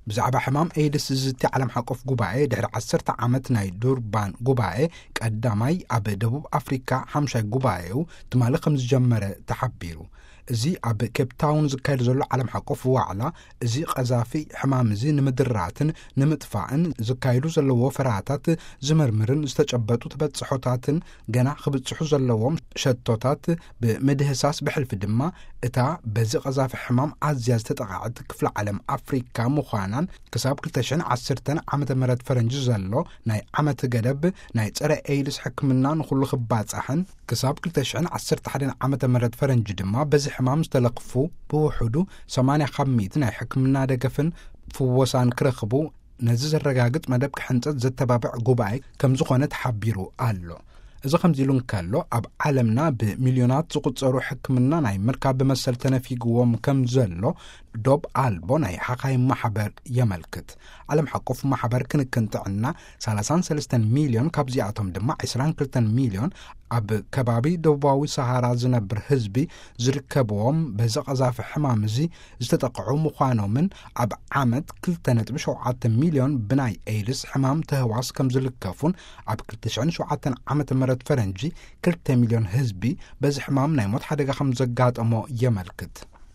ብዛዕባ ሕማም ኤድስ ዝዝቲ ዓለም ሓቆፍ ጉባኤ ድሕሪ ዓሰርተ ዓመት ናይ ዱርባን ጉባኤ ቀዳማይ ኣብ ደቡብ ኣፍሪካ ሓምሻይ ጉባኤኡ ትማሊ ከም ዝጀመረ ተሓቢሩ። እዚ ኣብ ኬፕ ታውን ዝካየድ ዘሎ ዓለም ሓቆፍ ዋዕላ፣ እዚ ቀዛፊ ሕማም እዚ ንምድራትን ንምጥፋእን ዝካየዱ ዘለዎ ፈራታት ዝምርምርን ዝተጨበጡ ተበጽሖታትን ገና ክብጽሑ ዘለዎም ሸቶታት ብምድህሳስ፣ ብሕልፊ ድማ እታ በዚ ቀዛፊ ሕማም ኣዝያ ዝተጠቓዕት ክፍለ ዓለም ኣፍሪካ ምዃናን፣ ክሳብ ክልተ ሽሕን ዓሰርተን ዓመተ ምህረት ፈረንጂ ዘሎ ናይ ዓመት ገደብ ናይ ጸረ ኤድስ ሕክምና ንኹሉ ክባጻሕን፣ ክሳብ ክልተ ሽሕን ዓሰርተ ሓደን ዓመተ ምህረት ፈረንጂ ድማ በዚ ሕማም ዝተለኽፉ ብውሕዱ ሰማንያ ካብ ሚእቲ ናይ ሕክምና ደገፍን ፍወሳን ክረኽቡ ነዚ ዘረጋግጽ መደብ ክሕንጸት ዘተባብዕ ጉባኤ ከም ዝኾነ ተሓቢሩ ኣሎ። እዚ ከምዚ ኢሉ እንከሎ፣ ኣብ ዓለምና ብሚልዮናት ዝቑጸሩ ሕክምና ናይ ምርካብ መሰል ተነፊግዎም ከም ዘሎ ዶብ ኣልቦ ናይ ሓኻይም ማሕበር የመልክት። ዓለም ሓቆፍ ማሕበር ክንክን ጥዕና፣ ሰላሳን ሰለስተን ሚልዮን፣ ካብዚኣቶም ድማ ዕስራን ክልተን ሚልዮን ኣብ ከባቢ ደቡባዊ ሰሃራ ዝነብር ህዝቢ ዝርከብዎም በዚ ቀዛፊ ሕማም እዚ ዝተጠቕዑ ምዃኖምን፣ ኣብ ዓመት ክልተ ነጥቢ ሸውዓተ ሚልዮን ብናይ ኤድስ ሕማም ተህዋስ ከም ዝልከፉን፣ ኣብ ክልተ ሽሕን ሸውዓተን ዓመተ ምህረት ፈረንጂ ክልተ ሚልዮን ህዝቢ በዚ ሕማም ናይ ሞት ሓደጋ ከም ዘጋጠሞ የመልክት።